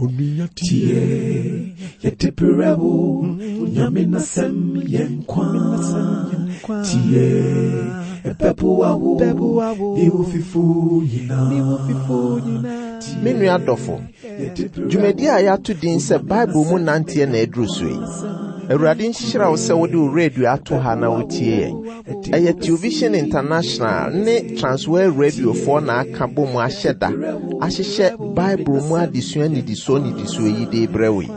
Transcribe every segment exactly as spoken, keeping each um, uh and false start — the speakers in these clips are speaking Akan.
Onua tie, yɛde brɛ wo, Nyame n'asɛm yɛ nkwa. Tie, ɛbɛboa wo, ne wo fifo nyinaa. Me nua dɔfo, dwumadi a yɛato din sɛ Bible mu nanteɛ na aduru so yi. Awurade nhyira wo sɛ wode wo radio ato ha na wotie yɛn. Ɛyɛ Television International ne Transworld Radiofoɔ na aka bɔ mu ahyɛ da ahyehyɛ Bible mu adesua nnidisoɔ nnidisoɔ yi de brɛ wo yi.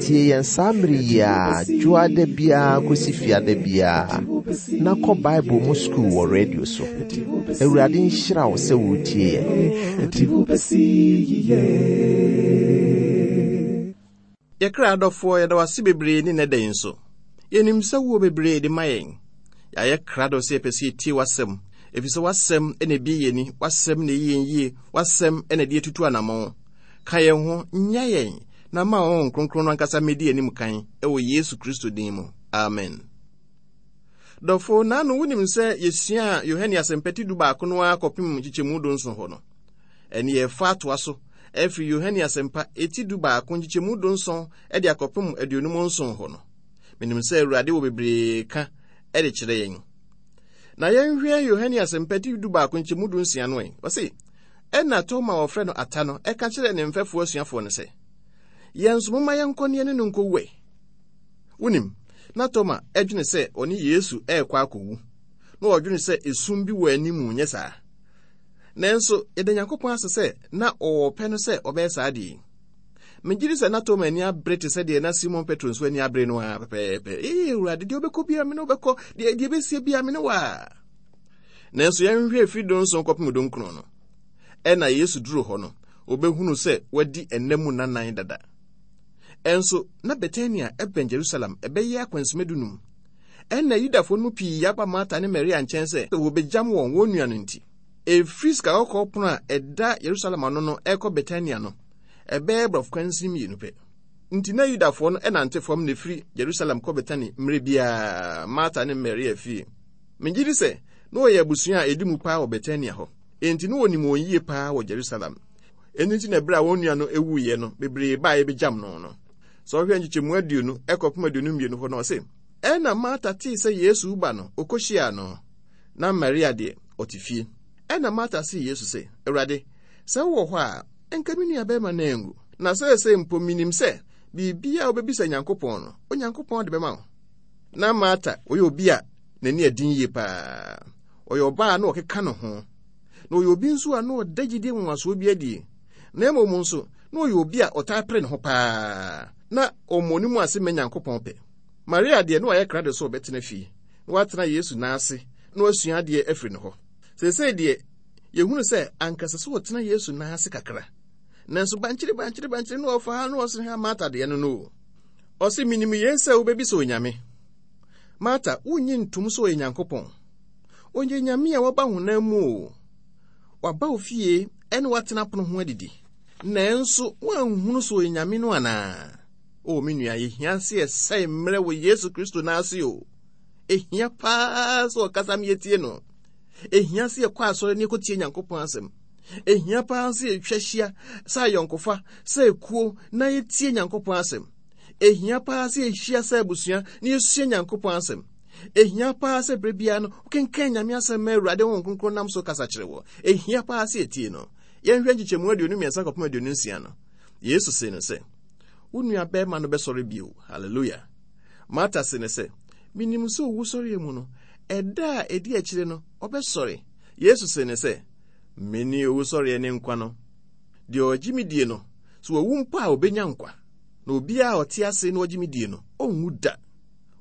Tie yɛn saa mmere yi a dwoada biara kɔsi fiada biara na kɔ Bible mu sukuu wɔ radio so. Awurade nhyira wo sɛ wotie yɛn. Ɛde wo bɛsi yiye. Yɛkra adɔfoɔ, yɛda wase bebree ne nnɛ da yi nso. Yɛnim sɛ wowɔ bebree de ma yɛn. Yɛayɛ krado sɛ yɛpɛ sɛ yɛtie w'asɛm, ɛfiri sɛ w'asɛm na ebie yɛn ani, w'asɛm na ɛyi yɛn yie, w'asɛm na ɛde yɛtutu anammɔn. Ka yɛn ho, nya yɛn, na ma Honhom Kronkron no ankasa mmɛdi anim kan ɛwɔ Yesu Kristo din mu. Amen. Dɔfo, naano wonim sɛ yɛsua Yohane Asɛmpati du baako no ara kɔpem nkyekyɛmu dunson hɔ no. Ɛne yɛfa atoa so ɛfiri Yohane Asɛmpa eti du baako nkyekyɛmu dunson ɛde akɔpem aduonum nson hɔ no. Menim sɛ Awurade wɔ bebree ka ɛde kyerɛ yɛn. Na yɛnhwɛ Yohane Asɛmpa ti du baako nkyɛmu du nsia no ɛ. Ɔse, ɛna Toma a wɔfrɛ no Ata no ɛka kyerɛɛ ne mfɛfoɔ asuafoɔ no sɛ, yɛn nso momma yɛnkɔ ne yɛne no nkɔwu ɛ. Wonim, na Toma ɛdwene sɛ ɔne Yesu ɛrekɔ akɔwu, na ɔdwene sɛ esum bi wɔ anim, nyɛ saa. Nanso yɛda Nyankopɔn ase sɛ na ɔwɔ pɛ no sɛ ɔbɛyɛ saa adeɛ yi. Megye di sɛ na Toma ani abere te sɛ deɛ na Simon Petro nso ani abere no ara pɛpɛɛpɛ. Ee Awurade, deɛ wobɛkɔ biara me ne wobɛkɔ, deɛ deɛ ɛbɛsie biara me ne wo a. Nanso yɛnhwɛ efiri dunson kɔpem dunkron no. Ɛna Yesu duru hɔ no, obɛhunu sɛ wadi ɛnna mu nanan dada. Ɛnso na Betania ɛbɛn Jerusalem ɛbɛyɛ akwansima dunum. Ɛna Yudafoɔ no mu pii aba Marta ne Maria nkyɛn sɛ wɔbɛgyam wɔn wɔn nua no nti. Ɛfiri sika kɔkɔɔ pono a ɛda Yerusalem ano no ɛkɔ Betania no, ɛbɛyɛ borɔfo kwansin mmienu pɛ. Nti na Yudafoɔ no ɛnante fam na ɛfiri Jerusalem kɔ Betani mmerɛ biara Marta ne Maria fie. Megye di sɛ na wɔyɛ abusua a ɛdi mu paa wɔ Betania hɔ. Enti na wɔnim wɔn yie paa wɔ Jerusalem. Ɛno nti na ɛberɛ a wɔn nua no ewuiɛ no, bebree baa ɛbɛgyam no no. Sɛ ɔhwɛ nkyekyɛmu aduonu ɛkɔpem aduonu mmienu hɔ no, ɔse, ɛna Marta tee sɛ Yesu ba no, ɔkɔhyiaa no. Na Maria deɛ, ɔte fie. Ɛna Marta see Yesu sɛ, Awurade, sɛ wowɔ hɔ a, ɛnka me nua bɛrima no angu. Na seesei mpo minim sɛ biribiara a wobɛbisa Nyankopɔn no, Onyankopɔn de bɛma wo. Na Marta, ɔyɛ obi a n'ani ɛden yie paa. Ɔyɛ ɔbaa a na ɔkeka ne ho. Na ɔyɛ obi nso a na ɔda gyidie nwanwasoɔ bi adie. Na mmom nso, na ɔyɛ obi a ɔtaa pere ne ho paa. Na ɔmmɔ ne mu ase mma Nyankopɔn pɛ. Maria deɛ, na wayɛ krado sɛ ɔbɛtena fie, na watena Yesu nan ase, na wasua adeɛ afiri ne hɔ. Seesei deɛ, yɛhunu sɛ ankasa sɛ ɔtena Yesu nan ase kakra. Nanso bankyere bankyere bankyere na ɔfa ha na ɔsene ha Marta deɛ no no. Ɔse, minim yei sɛ wobɛbisa Onyame. Marta, wonnye ntom sɛ ɔyɛ Nyankopɔn. Ɔyɛ Nyame a waba honam mu o. Waba wo fie ɛne watena pono ho adidi. Nanso woanhunu sɛ ɔyɛ Nyame no anaa? O me nua, yɛhia sɛ yɛsɛe mmerɛ wɔ Yesu Kristo nan ase o. Ehia paa sɛ ɔkasa ma yɛtie no. Ehia sɛ yɛkɔ asɔre ne yɛkɔtie Nyankopɔn asɛm. Ehia paa sɛ yɛtwa hyia sɛ ayɔnkofa, sɛ ekuo na yɛtie Nyankopɔn asɛm. Ehia paa sɛ yɛhyia sɛ abusua na yɛsua Nyankopɔn asɛm. Ehia paa sɛ berɛ biara no wokenkan Nyame asɛm ma Awurade Honhom Kronkron nam so kasa kyerɛ wɔ. Ehia paa sɛ yɛtie no. Yɛnhwɛ nkyekyɛmu aduonu mmiɛnsa kɔpem aduonu nsia no. Yesu see no sɛ, wo nua bɛrima no bɛsɔre bio. Hallelujah. Marta se no sɛ, minim sɛ owusɔreɛ mu no, ɛda a ɛdi akyire no, ɔbɛsɔre. Yesu se no sɛ, mene owusɔreɛ ne nkwa no. Deɛ ɔgye me die no, sɛ wawu mpo a ɔbɛnya nkwa. Na obiara a ɔte ase na ɔgye me die no, ɔnwu da.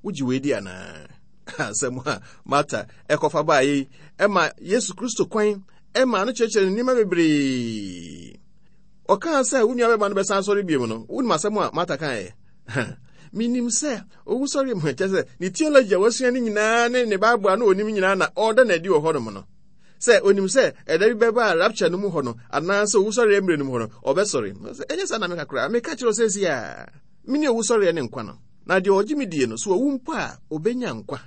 Wogye wei di anaa? Asɛm a Marta ɛkɔfa baeɛ yi, ɛma Yesu Kristo kwan ɛma no kyerɛkyerɛ ne nneɛma bebree. Ɔkaa sɛ wo nua bɛma no bɛsan asɔre bio no, wonim asɛm a Marta kaeɛ? Minim sɛ owusɔre mu kyerɛ sɛ ne theology a wasua no nyinaa ne ne Bible a na onim nyinaa na ɔda n'adi wɔ hɔnom no. Sɛ onim sɛ ɛda bi bɛba a rapture no mu hɔ no, anaasɛ owusɔre mmerɛ no mu hɔ no, ɔbɛsɔre. Ɛnyɛ saa na meka koraa. Meka kyerɛ wo sɛ a, mene owusɔreɛ ne nkwa no. Na deɛ ɔgye me die no, so wawu mpo a, ɔbɛnya nkwa.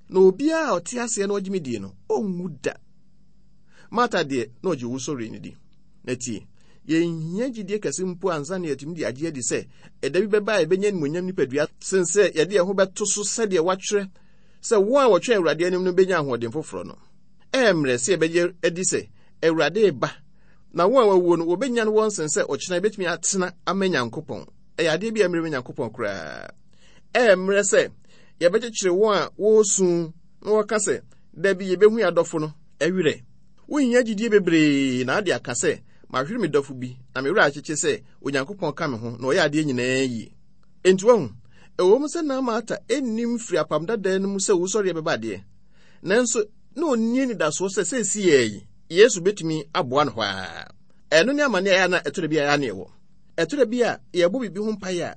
Na obiara a ɔte aseɛ na ɔgye me die no, ɔnwu da. Marta deɛ, na ɔgye owusɔreɛ no di. Na tie, Yɛnhia gyidie kɛse mpo ansa na yɛatumi de agye adi sɛ ɛda bi bɛba a yɛbɛnya animuonyam nipadua sen sɛ yɛde yɛn ho bɛto so sɛdeɛ wɔatwerɛ sɛ wɔn a wɔtwɛn Awurade anim no bɛnya ahoɔden foforɔ no. Ɛyɛ mmerɛ sɛ yɛbɛgye adi sɛ Awurade reba, na wɔn a wɔawuo no wɔbɛnya no wɔn sen sɛ ɔkyena yɛbɛtumi atena ama Nyankopɔn. Ɛyɛ adeɛ bi a mmerɛ ma Nyankopɔn koraa. Ɛyɛ mmerɛ sɛ yɛbɛkyekyere wɔn a wɔresu na wɔka sɛ dabi yɛbɛhu yɛn adɔfo no ɛwerɛ. Wonhia gyidie bebree na ade aka sɛ mahwere me dɔfo bi na me werɛ akyekye sɛ Onyankopɔn ka me ho na ɔyɛ adeɛ nyinaa yie. Enti wahu, ɛwɔ mu sɛ na Marta nnim firi apam dadaa no mu sɛ owusɔreɛ bɛba adeɛ, nanso na ɔnni anidasoɔ sɛ seesei yi Yesu bɛtumi aboa no hɔ ara. Ɛno ne amane a ɛyɛ na ɛtɔ da bi a ɛyɛ na ɛwɔ. Ɛtɔ da bi a yɛbɔ biribi ho mpaeɛ a,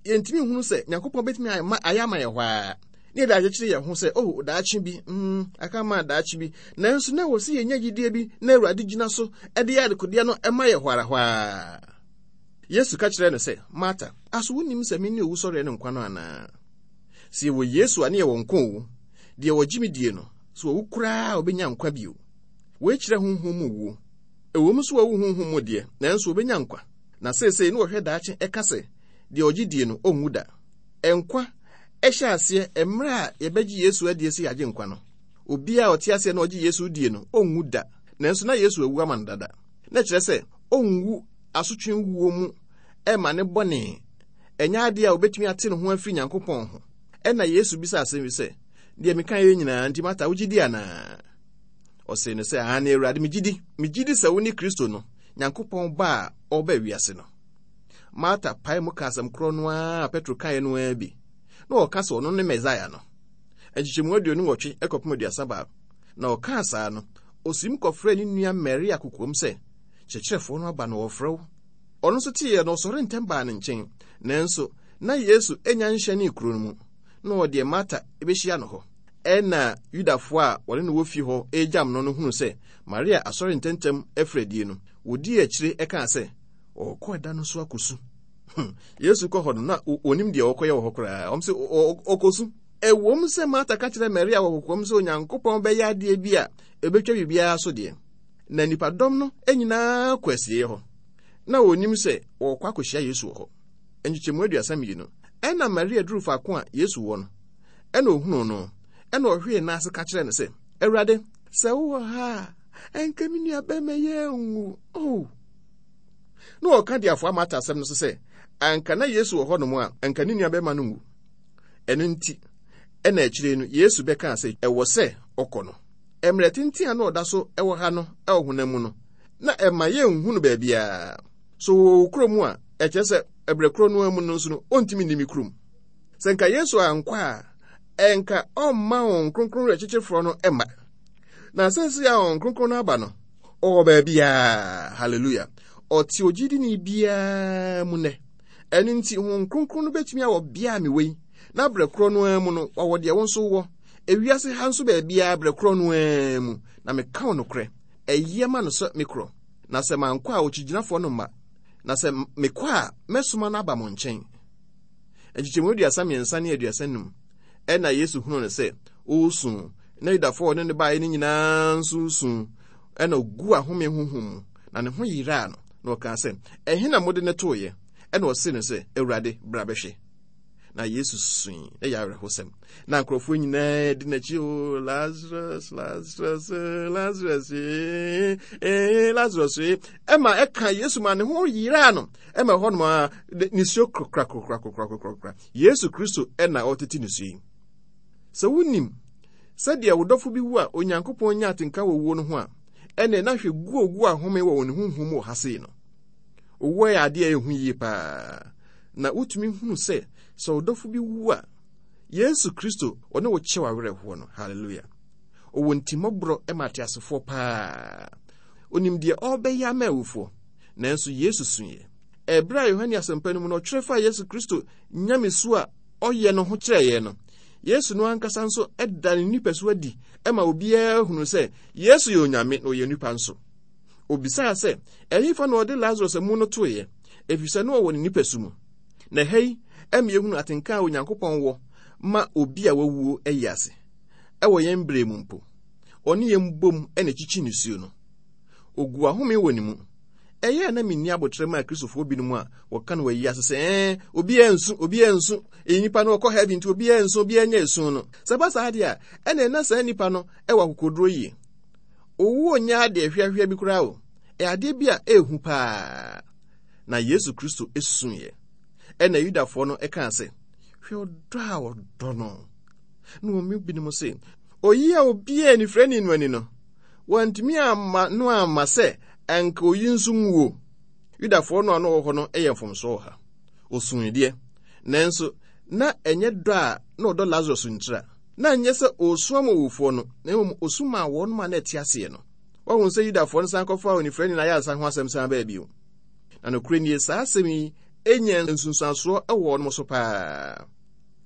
yɛntumi nhunu sɛ Nyankopɔn bɛtumi ayɛ ama yɛn hɔ ara. Ne yɛde akyekyere yɛn ho sɛ, oh, daakye bi, mm, aka ma daakye bi. Nanso na ɛwɔ sɛ yɛnya gyidie bi na Awurade gyina so de yɛ adekodeɛ no ma yɛ hɔ ara hɔ ara. Yesu ka kyerɛɛ no sɛ, Marta, aso wonnim sɛ mene owusɔreɛ ne nkwa no anaa? Sɛ yɛwɔ Yesu a ne yɛwɔ nkwa o, deɛ ɔgye me die no, sɛ wawu koraa a ɔbɛnya nkwa bio. Wei kyerɛ honhom mu wuo. Ɛwɔ mu sɛ wawu honhom mu deɛ, nanso ɔbɛnya nkwa. Na seesei ne wɔhwɛ daakye ɛka sɛ, deɛ ɔgye die no, ɔnwu da. Nkwa ɛhyɛ aseɛ mmerɛ a yɛbɛgye Yesu adie sɛ yɛagye nkwa no. Obiara a ɔte aseɛ na ɔgye Yesu die no, ɔnwu da. Nanso na Yesu awu ama no dada. Na kyerɛ sɛ, ɔnwu asotwe wuo mu ɛma ne bɔne. Ɛnyɛ adeɛ a obɛtumi ate ne ho afiri Nyankopɔn ho. Ɛna Yesu bisa asɛm bi sɛ, deɛ meka yɛ nyinaa nti Marta wogye di anaa? Ɔsee no sɛ, aane Awurade, megye di. Megye di sɛ wo ne Kristo no, Nyankopɔn ba a ɔreba wiase no. Marta pae mu ka asɛm korɔ no ara a Petro kaeɛ no ara bi. Na ɔka sɛ ɔno ne Mesaia no. Nkyekyɛmu aduonu nwɔtwe ɛkɔpem aduasa baako. Na ɔkaa saa no, ɔsim kɔfrɛɛ ne nua Maria kokoam sɛ, kyerɛkyerɛfoɔ no aba na ɔrefrɛ wo. Ɔno nso teeɛ no, ɔsɔre ntɛm baa ne nkyɛn. Nanso, na Yesu anya nhyɛnee kuro no mu, na ɔdeɛ Marta bɛhyia no hɔ. Ɛna Yudafoɔ a wɔne no wɔ fie hɔ regyam no no hunu sɛ Maria asɔre ntɛmntɛm afiri adie no, wɔdii akyire ɛkaa sɛ, ɔrekɔ ɛda no so akɔsu. Yesu kɔ hɔ no, na onim deɛ ɔkɔyɛ wɔ hɔ koraa. Ɔm sɛ ɔkɔsu. Ɛwom sɛ Marta ka kyerɛ Maria wɔ kokoam sɛ Onyankopɔn bɛyɛ adeɛ bi a ɛbɛtwa biribiara so deɛ, na nnipadɔm no nyinaa kɔ asieeɛ hɔ. Na wɔnim sɛ wɔrekɔ akɔhyia Yesu wɔ hɔ. Nkyekyɛmu aduasa mmienu. Ɛna Maria duru faako a Yesu wɔ no, ɛna ohunuu no, ɛna ɔhwee n'ase ka kyerɛɛ no sɛ, Awurade, sɛ wowɔ ha a, ɛnka me nua bɛrima yi anwu. Oh! Na ɔka de afoa Marta asɛm no so sɛ, anka na Yesu wɔ hɔnom a, anka ne nua bɛrima no nwu. Ɛno nti, ɛna akyire no, Yesu bɛkaa sɛ ɛwɔ sɛ ɔkɔ no. Mmerɛ tenten a na ɔda so ɛwɔ ha no ɛwɔ honam mu no, na ɛma yɛnhu no baabiara. So wɔ wo kurom a, ɛkyerɛ sɛ ɛberɛ korɔ no mu no nso no, ɔntumi nni me kurom. Sɛ nka Yesu ankɔ a, ɛnka ɔmma Honhom Kronkron werɛkyekyefoɔ no mma. Na seesei a Honhom Kronkron no aba no, ɔwɔ baabiara. Hallelujah. Ɔte ogyidini biara mu nnɛ. Ɛno nti, Honhom Kronkron no bɛtumi awɔ bea a mewɔ yi, na berɛ korɔ no ara mu no, wawɔ deɛ wo nso wɔ. Ewiase ha nso baabiara berɛ korɔ no ara mu, na meka wo nokorɛ, ɛyɛ ma no sɛ mekorɔ. Na sɛ mankɔ a, okyigyinafoɔ no mma. Na sɛ mekɔ a, mɛsoma no aba mo nkyɛn. Nkyekyɛmu aduasa mmiɛnsa ne aduasa num. Ɛna Yesu hunuu no sɛ ɔresu, na Yudafoɔ a ɔne no baeɛ no nyinaa nso resu. Ɛna ɔguu ahome honhom mu, na ne ho yeraa no, na ɔkaa sɛ, ɛhe na mode no toeɛ? Ɛna ɔsee no sɛ, Awurade, bra bɛhwɛ. Na Yesu sui, ɛyɛ awerɛhosɛm. Na nkurɔfoɔ nyinaa di n'akyi, o Lazarus, Lazarus, Lazarus, eh, eh, Lazarus, eh. Ɛma ɛka Yesu ma ne ho yeraa no. Ɛma ɛhɔ nom a nisuo korokora korokora korokora korokora. Yesu Kristo ɛna ɔtete nisuo yi. Sɛ wonim sɛdeɛ wo dɔfo bi wu a Onyankopɔn nya atenka wɔ wuo no ho a, ɛnna na hwɛ gu ogu ahome wɔ wɔn honhom mu wɔ ha sei no. Owuo yɛ adeɛ a ɛhu yie paa. Na wotumi hunu sɛ sɛ wo dɔfo bi wu a, Yesu Kristo ɔne wo kyɛ w'awerɛhoɔ no. Hallelujah. Ɔwɔ ntimmɔborɔ ma ateasefoɔ paa. Onim deɛ ɔrebɛyɛ ama awufoɔ. Nanso Yesu suiɛ. Ɛberɛ a Yohane asɛmpa no mu no ɔtwerɛ faa Yesu Kristo nyamesu a ɔyɛ no ho kyerɛɛ yɛn no, Yesu no ankasa nso da ne nipasu adi ma obiara hunu sɛ Yesu yɛ Onyame na ɔyɛ nipa nso. Obisaa sɛ, ɛhefa na ɔde Lazarus amu no toeɛ? Ɛfiri sɛ na ɔwɔ ne nipasu mu. Na ɛha yi ɛma yɛhunu atenka a Onyankopɔn wɔ ma obi a wawuo ayi ase. Ɛwɔ yɛn berɛ mu mpo, ɔne yɛn bom na ɛkyikyi nisuo no. Ogu ahome wɔ ne mu. Ɛyɛ na menni abotrɛ ma Akristofoɔ binom a wɔka no wɔ ayi ase sɛ ɛɛ obiara nsu, obiara nsu, ɛyi nipa no ɔkɔ heaven nti obiara nsu, obiara nyɛ esu no. Sɛ ɛba saa deɛ a, ɛna ɛna saa nipa no ɛwɔ akokoduro yie. Owuo nyɛ adeɛ hwɛhwɛ bi koraa o. Ɛyɛ adeɛ bi a ɛɛhu paa. Na Yesu Kristo esuiɛ. Ɛna Yudafoɔ no ɛkaa sɛ, hwɛ ɔdɔ a ɔdɔ no. Na wɔn mu binom se, oyi a obiara anifirani no ani no, wɔntumi amma no amma sɛ anka oyi nso nwuo. Yudafoɔ no a na wɔwɔ hɔ no yɛ mfomsoɔ wɔ ha. Osui deɛ, nanso na ɛnyɛ dɔ a na ɔdɔ Lazarus ntira. Na ɛnyɛ sɛ ɔresu ama owufoɔ no, na mmom osu maa wɔn a na ɛte aseɛ no. Wɔahu sɛ Yudafoɔ no san kɔfaa onifirani no ayaresa ho asɛm san baa bio. Na nokorɛ nie, saa asɛm yi enya nsunsuansoɔ wɔ wɔn so paa.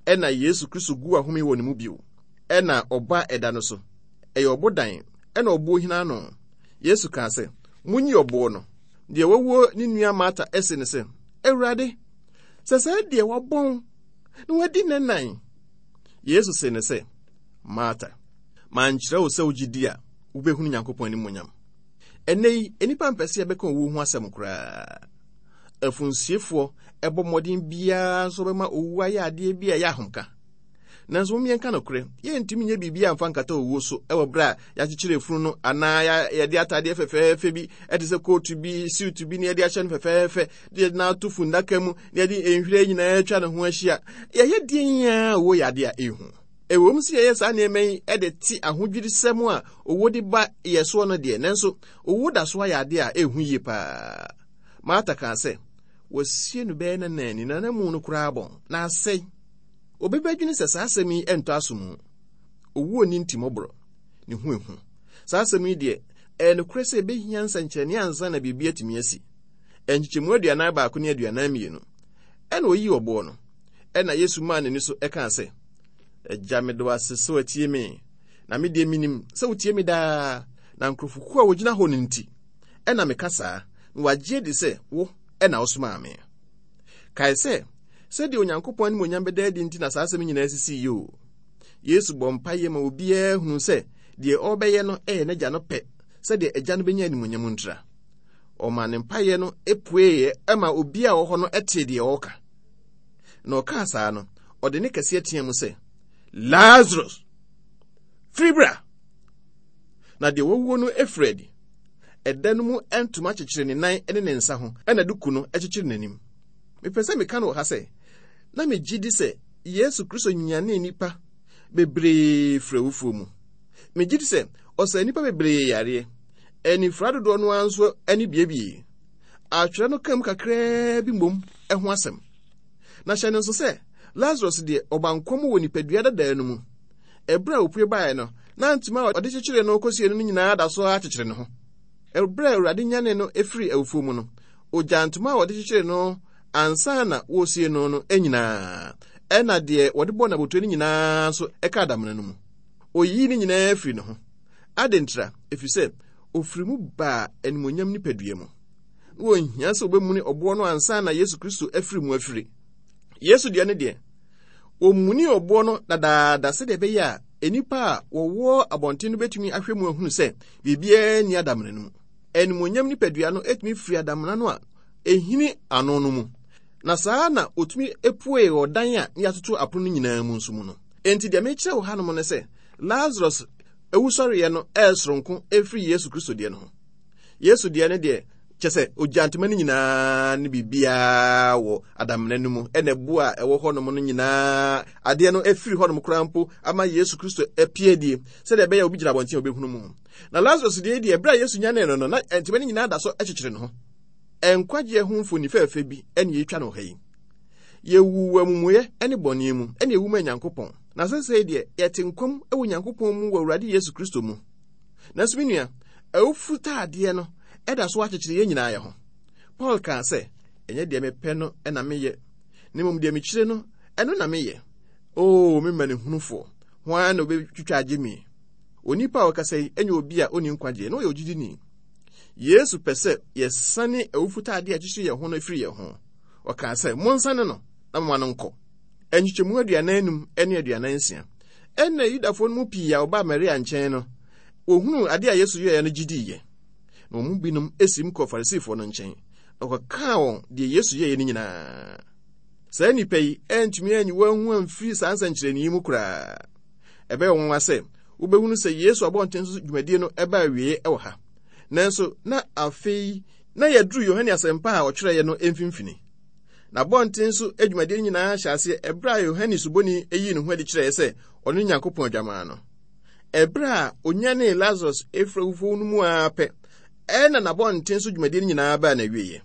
Ɛna Yesu Kristo gu ahome wɔ ne mu bio. Ɛna ɔba ɛda no so. Ɛyɛ ɔbodan, ɛna ɔboɔ hina ano. Yesu kaa sɛ, munyi ɔboɔ no. Deɛ wawuo ne nua Marta ɛse ne sɛ, Awurade, sɛ sɛ deɛ wabɔn na wadi ne nan. Yesu se ne sɛ, Marta, mankyerɛ wo sɛ wogye di a, wobɛhunu Nyankopɔn animuonyam. Ɛnnɛ yi, nnipa mpɛ sɛ yɛbɛka owuo ho asɛm koraa. Afunsiefoɔ ɛbɔ mmɔden biara nso bɛma owu ayɛ adeɛ bi a ɛyɛ ahomka. Nanso mom yɛnka nokorɛ, yɛntumi nyɛ biribi amfa nkata owuo so ɛwɔ berɛ a yɛakyekyere efunu no anaa yɛde atadeɛ fɛfɛɛfɛ bi ɛte sɛ kootu bi, siwtu bi na yɛde ahyɛ no fɛfɛɛfɛ, de yɛde no ato fundaka mu na yɛde nhwiren nyinaa atwa ne ho ahyia. Yɛyɛ deɛn a owuo yɛ adeɛ a ɛhu. Ɛwom sɛ yɛyɛ saa nneɛma yi de te ahodwirisɛm a owuo de ba yɛ soɔ no deɛ, nanso owuo da so ayɛ adeɛ a ɛhu yie paa. Marta kaa sɛ, wɔasie no bɛyɛ nanani na n'amu no koraa bɔn na asɛe. Obi bɛdwene sɛ saa asɛm yi ɛntɔ aso mu. Owuo nni ntimmɔborɔ, ne ho ehu. Saa asɛm yi deɛ, ɛyɛ nokorɛ sɛ ɛbɛhia nsɛnkyerɛnne ansa na biribi atumi asi. Nkyekyɛmu aduanan baako ne aduanan mmienu. Ɛna oyii ɔboɔ no. Ɛna Yesu maa n'ani so ɛkaa sɛ, Agya, meda wo ase sɛ watie me. Na me deɛ minim sɛ wotie me daa. Na nkurɔfokuo a wɔgyina hɔ no nti, ɛna meka saa, na wɔagye adi sɛ wo ɛna wosomaa me. Kae sɛ, sɛdeɛ Onyankopɔn animuonyam bɛda adi nti na saa asɛm nyinaa sisii yi o. Yesu bɔ mpaeɛ ma obiara hunu sɛ deɛ ɔrebɛyɛ no ɛyɛ n'agya no pɛ, sɛdeɛ agya no bɛnya animuonyam ntira. Ɔma ne mpaeɛ no epueeɛ ɛma obiara a ɔwɔ hɔ no ɛtee deɛ ɔreka. Na ɔkaa saa no, ɔde ne kɛseɛ teɛ mu sɛ, Lazarus, firi bra! Na deɛ wawuo no efiri adi. Ɛda no mu ntoma kyekyere ne nan ne ne nsa ho, ɛna duku no kyekyere n'anim. Mepɛ sɛ meka no wɔ ha sɛ, na megye di sɛ Yesu Kristo nyanee nnipa bebree firi awufoɔ mu. Megye di sɛ ɔsaa nnipa bebree yareɛ. Anifira dodoɔ no ara nso ani biebie. Atwerɛ no kam kakraa bi mmom ho asɛm. Na hyɛ no nso sɛ, Lazarus deɛ ɔba nkwa mu wɔ nipadua dadaa no mu. Ɛberɛ a opue baeɛ no, na ntoma a ɔde kyekyeree no kɔsie no nyinaa da so ara kyekyere ne ho. Ɛberɛ a Awurade nyane no efiri awufoɔ mu no, ogyaa ntoma a wɔde kyekyere no ansa na wɔresie no no nyinaa. Ɛna deɛ wɔde bɔɔ n'abotire no nyinaa nso ɛka adamena no mu. Oyii ne nyinaa firi ne ho. Adɛn ntira? Ɛfiri sɛ, ofiri mu baa animuonyam nipadua mu. Na wɔnhia sɛ wɔbɛmuni ɔboɔ no ansa na Yesu Kristo afiri mu afiri. Yesu deɛ ne deɛ, wɔmuni ɔboɔ no dadaada sɛdeɛ ɛbɛyɛ a nnipa a wɔwɔ abɔnten no bɛtumi ahwɛ mu ahunu sɛ biribiara nni adamena no mu. Animuonyam nipadua no etumi firi adamena no a ehini ano no mu. Na saa na otumi epuee ɔdan a ne yɛatoto apono no nyinaa mu nso mu no. Enti deɛ mekyerɛ wo hanom ne sɛ, Lazarus ewusɔreɛ no ɛyɛ soronko efiri Yesu Kristo deɛ no ho. Yesu deɛ ne deɛ, kyɛ sɛ ogya ntoma no nyinaa ne biribiara wɔ adamena no mu, ɛna ɛbo a ɛwɔ hɔnom no nyinaa, adeɛ no efiri hɔnom koraa mpo ama Yesu Kristo apue die, sɛdeɛ ɛbɛyɛ a obi gyina abɔnten a obɛhunu mu. Na Lazarus deɛ deɛ, ɛberɛ a Yesu nyanee no no, na ntoma no nyinaa da so kyekyere ne ho. Nkwagyeɛ ho mfoni fɛɛfɛ bi ɛna yɛtwa no ha yi. Yɛwu wɔ amumuyɛ ne bɔne mu, ɛna yɛwu ma Nyankopɔn. Na sɛsɛe deɛ, yɛte nkwa mu wɔ Nyankopɔn mu wɔ Awurade Yesu Kristo mu. Nanso me nua, awufu taadeɛ no ɛda so akyekyere yɛn nyinaa yɛ ho. Paul kaa sɛ, ɛnyɛ deɛ mepɛ no ɛna meyɛ, na mmom deɛ mekyire no, ɛno na meyɛ. Oo, me mmanehunufoɔ, hwan na obɛtwitwa agye me? Onipa a ɔkasa yi ɛnyɛ obi a ɔnni nkwagyeɛ, na ɔyɛ ogyidini. Yesu pɛ sɛ yɛsane awufo taadeɛ a ɛkyekyere yɛn ho no firi yɛn ho. Ɔkaa sɛ, monsane no na moma no nkɔ. Nkyekyɛmu aduanan enum ne aduanan nsia. Ɛnna Yudafoɔ no mu pii a wɔbaa Maria nkyɛn no, wɔhunuu adeɛ a Yesu yɛeɛ no gye diiɛ. Na wɔn mu binom esim kɔɔ Farisifoɔ no nkyɛn, na wɔkɔkaa wɔn deɛ Yesu yɛeɛ no nyinaa. Saa nnipa yi antumi anyi wɔn ho amfiri saa nsɛnkyerɛnne yi mu koraa. Ɛbɛyɛ wɔn nwanwa sɛ wobɛhunu sɛ Yesu abɔnten so dwumadie no ɛbaa awie wɔ ha. Nanso na afei na yɛduru Yohane Asɛmpa a ɔtwerɛeɛ no mfimfini. Na abɔnten so dwumadie no nyinaa hyɛ aseɛ ɛberɛ a Yohane Suboni yii ne ho adi kyerɛeɛ sɛ ɔno ne Nyankopɔn Adwammaa no. Ɛberɛ a onyanee Lazarus efiri awufoɔ no mu ara pɛ, ɛna n'abɔnten so dwumadie no nyinaa baa n'awieeɛ.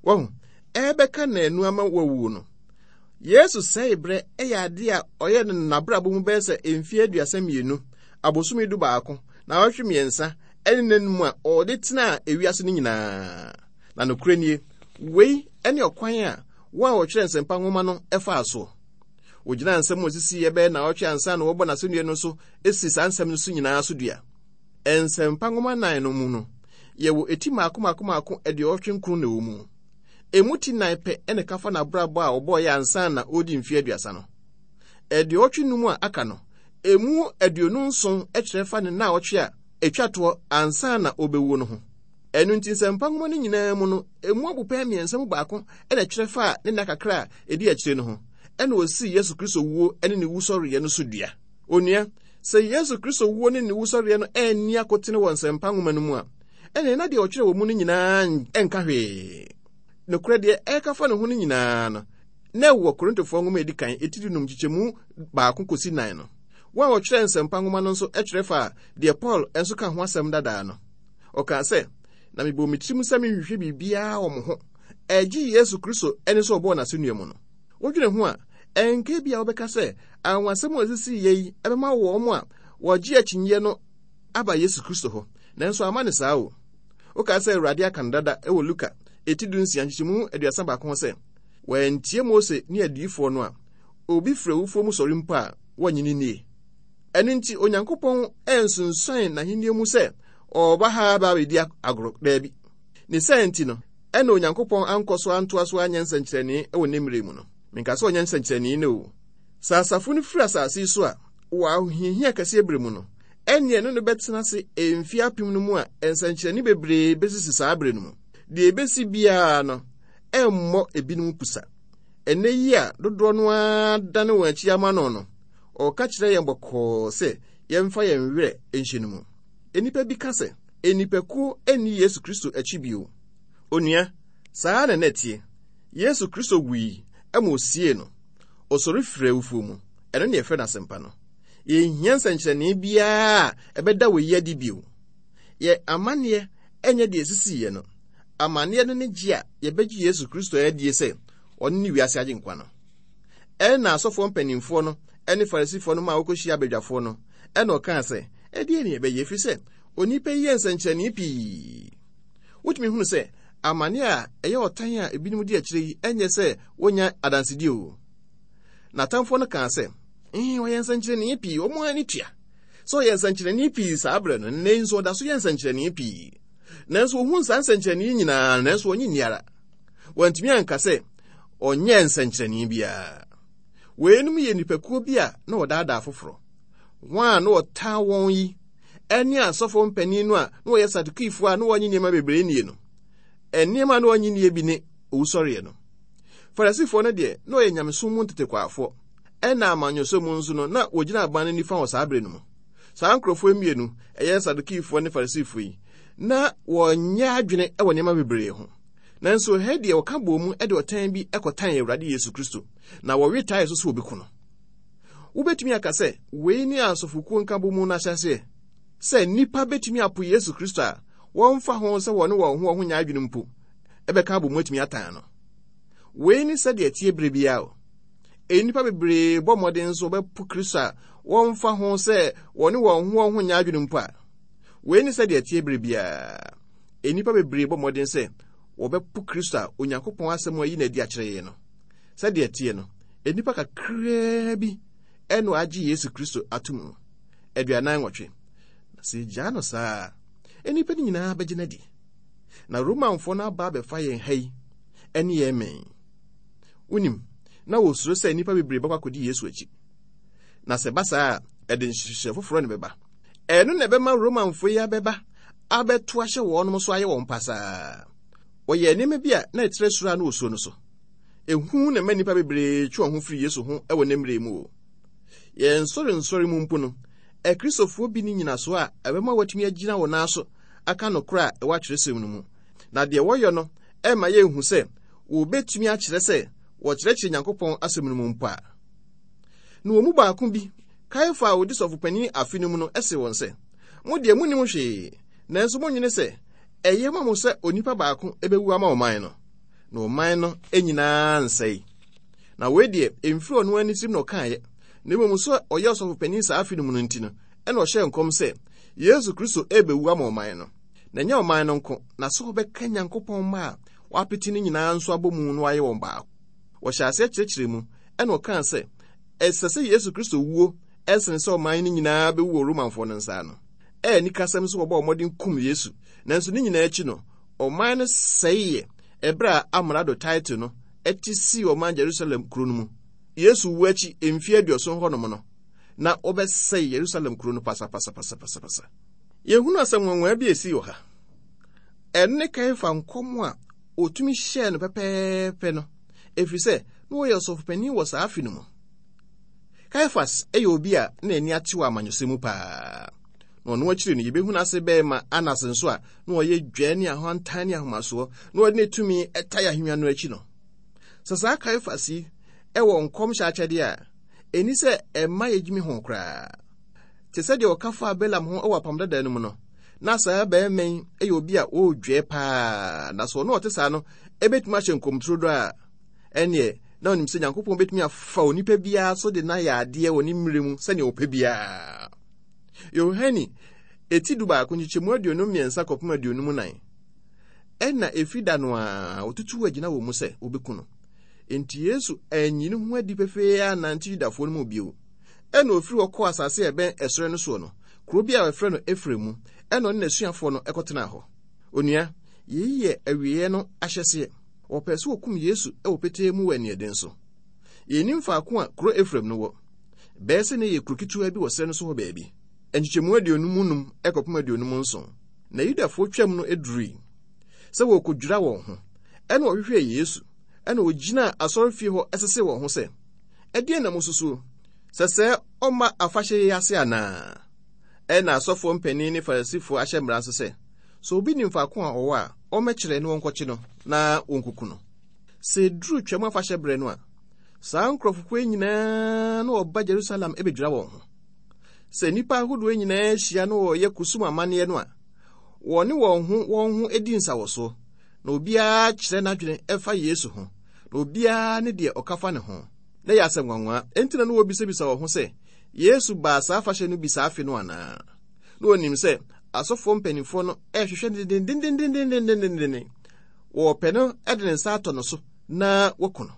Wahu, ɛrebɛka nnanu ama wawuo no, Yesu sɛe berɛ yɛ adeɛ a ɔyɛ no n'abrabɔ mu bɛyɛ sɛ mfeɛ aduasa mmienu, abosome du baako, naawɔtwe mmiɛnsa, ɛne nnanum a ɔde tenaa ewiase no nyinaa. Na nokorɛ nie, wei ne ɔkwan a wɔn a wɔtwerɛ Nsɛmpa nwoma no faa soɔ. Wɔgyinaa nsɛm a wɔsisiiɛ bɛyɛ naawɔtwe ansa na wɔbɔ n'asɛnnua no so si saa nsɛm no so nyinaa so dua. Nsɛmpa nwoma nnan no mu no, yɛwɔ eti mmaako mmaako mmaako aduɔwɔtwe nkron na ɛwɔ mu. Emu ti nnan pɛ na ɛka fa n'abrabɔ a ɔbɔeɛ ansa na ɔredi mfeɛ aduasa no. Aduɔwɔtwe nnum a aka no, emu aduonu nson kyerɛ fa ne nnaawɔtwe a ɛtwa toɔ ansa na ɔrebɛwuo no ho. Ɛno nti Nsɛmpa nwoma no nyinaa mu no, emu abupɛn mmiɛnsa mu baako na ɛkyerɛ fa ne nna kakra a ɛdi akyire no ho, ɛna ɔsii Yesu Kristo wuo ne ne wusɔreɛ no so dua. Onua, sɛ Yesu Kristo wuo ne ne wusɔreɛ no anni akotene wɔ Nsɛmpa nwoma no mu a, ɛnneɛ na deɛ ɔtwerɛ wɔ mu no nyinaa nka hwee. Nokorɛ deɛ ɛreka fa ne ho no nyinaa no, na ɛwɔ Korintofoɔ nwoma a ɛdi kan, eti dunum nkyekyɛmu baako kɔsi nan no. Wɔn a wɔtwerɛ Nsɛmpa nwoma no nso twerɛ faa deɛ Paul nso ka ho asɛm dadaa no. Ɔkaa sɛ, na mebɔɔ me tirim sɛ menhwehwɛ biribiara wɔ mo ho, ɛgye Yesu Kristo ne sɛ ɔbɔɔ n'asɛnnua mu no. Wodwene ho a, ɛnka bi a wobɛka sɛ anwanwasɛm a ɛsisiiɛ yi ɛbɛma wɔn a wɔgye akyinnyeɛ no aba Yesu Kristo hɔ. Nanso amma no saa o. Wokaa sɛ Awurade aka no dada wɔ Luka eti dunsia nkyekyɛmu aduasa baako ho sɛ, wɔantie Mose ne adiyifoɔ no a, obi firi awufoɔ mu sɔre mpo a, wɔnnye no nnie. Ɛno nti, Onyankopɔn ansunsuan n'ahenni mu sɛ ɔreba ha aba abɛdi agorɔ. Daabi. Ne saa nti no, ɛna Onyankopɔn ankɔ so antoa so anyɛ nsɛnkyerɛnne wɔ ne mmerɛ mu no. Menka sɛ ɔnyɛ nsɛnkyerɛnne no o. Sɛ asafo no firi asase yi so a, wɔ ahohiahia kɛseɛ berɛ mu no, ɛnneɛ ɛno no bɛtena ase mfeɛ apem no mu a nsɛnkyerɛnne bebree bɛsisi saa berɛ no mu. Deɛ ɛbɛsi biara no, ɛmmɔ ebinom pusa. Ɛnnɛ yi a dodoɔ no ara dane wɔn akyi ama no no, ɔreka kyerɛ yɛn bɔkɔɔ sɛ yɛmfa yɛn werɛ nhyɛ no mu. Nnipa bi ka sɛ, nnipakuo nni Yesu Kristo akyi bio. Onua, saa na na ɛteɛ. Yesu Kristo wui ma ɔsiee no. Ɔsɔre firii awufoɔ mu. Ɛno ne yɛfrɛ no asɛmpa no. Yɛnhia nsɛnkyerɛnne biara a ɛbɛda wei adi bio. Yɛ amanneɛ nyɛ deɛ ɛsisiiɛ no. Amanneɛ no ne gye a yɛbɛgye Yesu Kristo adie sɛ ɔno ne wiase agyenkwa no. Ɛnna asɔfoɔ mpanimfoɔ no ne Farisifoɔ no maa wɔkɔhyia abadwafoɔ no, ɛnna ɔkaa sɛ, ɛdeɛn ne yɛbɛyɛ, ɛfiri sɛ onipa yi yɛ nsɛnkyerɛnne pii. Wotumi hunu sɛ amanneɛ a ɛyɛ ɔtan a ebinom di akyire yi nyɛ sɛ wɔnya adansedie o. N'atamfoɔ no kaa sɛ, ee, ɔyɛ nsɛnkyerɛnne pii, wɔn ani tua sɛ ɔyɛ nsɛnkyerɛnne pii saa berɛ no, nnɛ yi nso ɔda so yɛ nsɛnkyerɛnne pii. Nanso wɔhuu saa nsɛnkyerɛnne yi nyinaa, nanso wɔnye nni ara. Wɔantumi anka sɛ ɔnyɛɛ nsɛnkyerɛnne biara. Weinom yɛ nnipakuo bi a na wɔdaadaa foforɔ. Wɔn a na wɔtaa wɔn yi ne asɔfoɔ mpanin no a na wɔyɛ Sadukifoɔ a na wɔnye nneɛma bebree nnie no. Nneɛma a na wɔnye nnie bi ne owusɔreɛ no. Farisifoɔ no deɛ, na wɔyɛ nyamesom mu ntetekwaafoɔ. Ɛna amanyɔsɛm mu nso no, na wɔgyina aban no nifa wɔ saa berɛ no mu. Saa nkurɔfoɔ mmienu, ɛyɛ Sadukifoɔ ne Farisifoɔ yi, na wɔnyɛ adwene wɔ nneɛma bebree ho. Nanso ha deɛ wɔka bɔɔ mu de ɔtan bi kɔtan Awurade Yesu Kristo, na wɔwe tae so sɛ wɔbɛku no. Wobɛtumi aka sɛ wei ne asɔfokuo nkabɔmu no ahyɛaseɛ, sɛ nnipa bɛtumi apo Yesu Kristo a wɔmfa ho sɛ wɔne wɔn ho wɔn ho nyɛ adwene mpo ɛbɛka abɔ mu atumi atan no. Wei ne sɛdeɛ ɛteɛ berɛ biara o. Nnipa bebree bɔ mmɔden nso wɔbɛpo Kristo a wɔmfa ho sɛ wɔne wɔn ho wɔn ho nyɛ adwene mpo a. Wei ne sɛdeɛ ɛteɛ berɛ biara. Nnipa bebree bɔ mmɔden sɛ wɔbɛpo Kristo a Onyankopɔn asɛm ayi no adi akyerɛ yɛn no. Sɛdeɛ ɛteɛ no, nnipa kakraa bi ɛna agye Yesu Kristo ato mu. Aduanan nwɔtwe. Na sɛ yɛgyaa no saa a, nnipa no nyinaa bɛgye no adi. Na Romanfoɔ no aba abɛfa yɛn ha yi ɛne yɛn mmɛn. Wonim, na wɔsuro sɛ nnipa bebree bɛkɔ akɔdi Yesu akyi. Na sɛ ɛba saa a, ɛde nhyehyɛ foforɔ na ɛbɛba. Ɛno na ɛbɛma Romanfoɔ yi abɛba abɛto ahyɛ wɔnom so ayɛ wɔn pasaa. Wɔyɛɛ nneɛma bi a na ɛkyerɛ suro a na wɔsuro no so. Ehu na ɛma nnipa bebree twe wɔn ho firi Yesu ho wɔ ne mmerɛ mu o. Yɛn nsɔrensɔre mu mpo no, Akristofoɔ bi ne nyinasoɔ a ɛbɛma wɔatumi agyina wɔn nan so aka nokorɛ a ɛwɔ atwerɛsɛm no mu. Na deɛ wɔyɛ no ɛma yɛnhu sɛ wɔbɛtumi akyerɛ sɛ wɔkyerɛkyerɛ Nyankopɔn asɛm no mu mpo a. Na wɔn mu baako bi, Kaiafa a ɔdi sɔfopanin afe no mu no, se wɔn sɛ, Mo deɛ monnim hwee, nanso monnwene sɛ ɛyɛ ma mo sɛ onipa baako bɛwu ama ɔman no, na ɔman no nyinaa nsɛe. Na wei deɛ, ɛmfiri ɔno ara ne tirim na ɔkaeɛ, na mmom sɛ ɔyɛ ɔsɔfopanin saa afe no mu no nti no, ɛna ɔhyɛɛ nkɔm sɛ Yesu Kristo rebɛwu ama ɔman no. Na ɛnyɛ ɔman no nko, na sɛ ɔbɛka Nyankopɔn mma a wɔapete no nyinaa nso abɔ mu na wɔayɛ wɔn baako. Wɔhyɛɛ aseɛ kyerɛkyerɛ mu, ɛna ɔkaa sɛ ɛsɛ sɛ Yesu Kristo wuo ɛsene sɛ ɔman no nyinaa bɛwu wɔ Romanfoɔ no nsa ano. Ɛyɛ anikasɛm sɛ wɔbɔɔ mmɔden kum Yesu, nanso ne nyinaa akyi no, ɔman no sɛeɛ ɛberɛ a amrado Tito no te sii ɔman Jerusalem kuro no mu. Yesu wu akyi mfeɛ aduɔson hɔnom no, na wɔbɛsɛe Yerusalem kuro no pasapasapasapasa. Yɛhunu asɛm nwanwaa bi a ɛsii wɔ ha. Ɛno ne Kaiafa nkɔm a ɔtumi hyɛɛ no pɛpɛɛpɛ no, ɛfiri sɛ na ɔyɛ ɔsɔfopanin wɔ saa afe no mu. Kaifas yɛ obi a na ani ate wɔ amanyɔsɛm mu paa. Na ɔno akyiri no, yɛbɛhu n'ase bɛrima Anas nso a na ɔyɛ dwaa ne ahoantan ne ahomasoɔ na ɔde ne tumi tae ahennwa no akyi no. Sɛ saa Kaifas yi wɔ nkɔmhyɛ akyɛdeɛ a, ɛni sɛ ɛmma yɛgyimi ho koraa. Te sɛ deɛ ɔka faa Balaam ho wɔ Apam Dada no mu no, na saa barima yi yɛ obi a ɔredwɛɛ paa, na sɛ ɔno ɔte saa no ɛbɛtumi ahyɛ nkɔmturo do a, ɛneɛ na ɔnim sɛ Nyankopɔn bɛtumi afa onipa biara so de no ayɛ adeɛ wɔ ne mmerɛ mu sɛnea ɔpɛ biara. Yohane eti du baako nkyekyɛmu aduonu mmiɛnsa kɔpem aduonum nan. Ɛna efi da no a ɔtutu agyina wɔ mu sɛ wɔbɛku no. Enti Yesu anyi ne ho adi pefee annante Yudafoɔ no mu bio. Ɛna ofiri hɔ kɔɔ asase a ɛbɛn ɛserɛ no soɔ no, kuro bi a wɔfrɛ no Efraim mu, ɛna ɔne n'asuafoɔ no kɔtenaa hɔ. Onua, yei yɛ awieeɛ no ahyɛseɛ. Wɔpɛɛ sɛ wɔkum Yesu wɔ petee mu wɔ aniɛden so. Yɛnnim faako a kuro Efraim no wɔ. Bɛyɛ sɛ na ɛyɛ kuro ketewa bi wɔ serɛ no so hɔ baabi. Nkyekyɛmu aduonum num kɔpem aduonum nson. Na Yudafoɔ twam no durui sɛ wɔrekɔdwira wɔn ho. Ɛna wɔhwehwɛɛ Yesu, ɛna wɔgyinaa asɔrefie hɔ sesee wɔn ho sɛ, Ɛdeɛn na mosusuo? Sɛ sɛ ɔmma afahyɛ yi ase anaa? Ɛna asɔfoɔ mpanin ne Farisifoɔ ahyɛ mmara nso sɛ, sɛ obi nim faako a ɔwɔ a, ɔmmɛkyerɛ na wɔnkɔkye no na wɔnkuku no. Sɛ ɛduru Twam afahyɛ berɛ no a, saa nkurɔfokuo yi nyinaa na wɔba Jerusalem bɛdwira wɔn ho. Sɛ nnipa ahodoɔ nyinaa hyia na wɔreyɛ kusum amanneɛ no a, wɔne wɔn ho wɔn ho di nsawɔsoɔ, na obiara kyerɛ n'adwene ɛfa Yesu ho, na obiara ne deɛ ɔka fa ne ho. Na ɛyɛ asɛm nwanwa, enti na na wɔbisabisa wɔn ho sɛ, Yesu baa saa afahyɛ no bi saa afe no anaa? Na wɔnim sɛ asɔfoɔ mpanimfoɔ no rehwehwɛ no dendendendendendenden. Wɔrepɛ no de ne nsa atɔ no so na wɔaku no.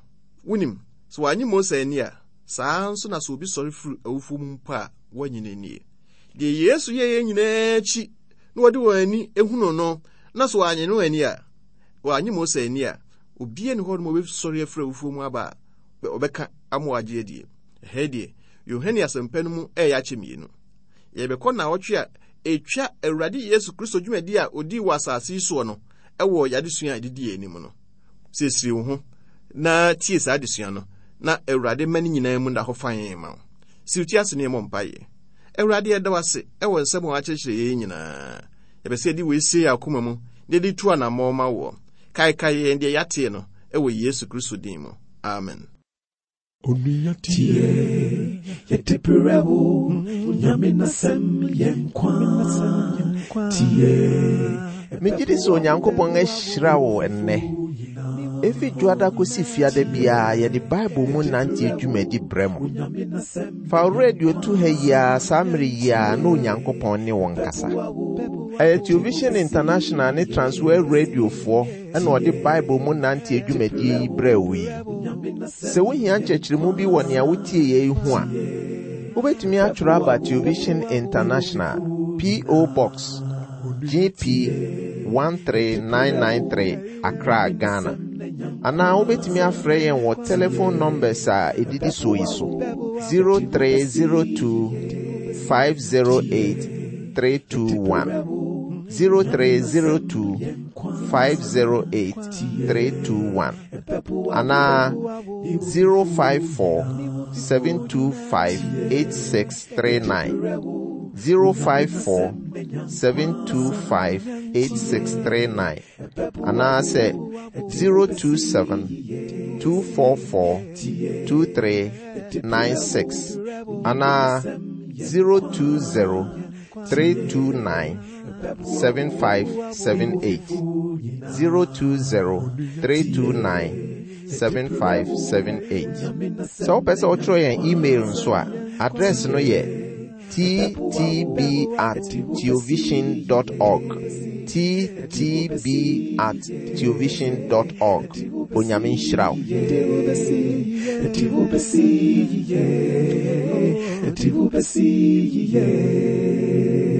Wonim, sɛ wɔanye Mose anni a, saa ara nso na sɛ obi sɔre firi awufoɔ mu mpo a, wɔnnye no nnie. Deɛ Yesu yɛeɛ nyinaa akyi na wɔde wɔn ani hunu no, na sɛ wɔanye no anni a, wɔanye Mose anni a, obiara nni hɔ nom a ɔbɛsɔre afiri awufoɔ mu aba a ɔbɛka ama wɔagye adie. Ɛha deɛ, Yohane asɛmpa no mu ɛreyɛ akyɛ mmienu. Yɛbɛkɔ nnawɔtwe a ɛtwa Awurade Yesu Kristo dwumadi a ɔdii wɔ asase yi soɔ no ɛwɔ yɛadesua a ɛdidi yɛn anim no. Siesie wo ho na tie saa adesua no, na Awurade mma ne nyinaa mu nna hɔ fann ma wo. Siw ti ase na yɛmmɔ mpaeɛ. Awurade, yɛda wo ase ɛwɔ nsɛm a woakyerɛkyerɛ yɛn nyinaa. Yɛpɛ sɛ yɛde wei sie yɛn akoma mu na yɛde tu anammɔn ma woɔ. Kaekae yɛn deɛ yɛateɛ no ɛwɔ Yesu Kristo din mu. Amen. Onua tie, yɛde brɛ wo, Onyame n'asɛm yɛ nkwa. Tie. Megye di sɛ Onyankopɔn ahyira wo ɛnnɛ. Efi Dwoada kosi Fiada biara yɛde Bible mu nante dwumadi brɛ mo. Fa wo radio to ha yi ara saa mmere yi ara na Onyankopɔn ne wo nkasa. Ɛyɛ Television International ne Transworld Radiofoɔ ɛna ɔde Bible mu nante dwumadie yi brɛ wo yi. Sɛ wohia nkyerɛkyerɛmu bi wɔ nea wotie yɛ yi ho a, wobɛtumi atwerɛ aba Television International, P O. Box G P one three nine nine three, Accra, Ghana. Anaa wobɛtumi afrɛ yɛn wɔ telephone numbers a ɛdidi soɔ yi so: zero three zero two five zero eight three two one, zero three zero two five zero eight three two one anaa zero five four seven two five eight six three nine, zero five four seven two five eight six three nine anaasɛ zero two seven two four four two three nine six anaa zero two zero three two nine seven five seven eight, zero two zero three two nine seven five seven eight. Sɛ wopɛ sɛ wotwerɛ yɛn email nso a, address no yɛ T T B at theovision dot org, T T B at theovision dot org. Onyame nhyira wo. Yɛde wo bɛsi yie, yɛde wo bɛsi yie.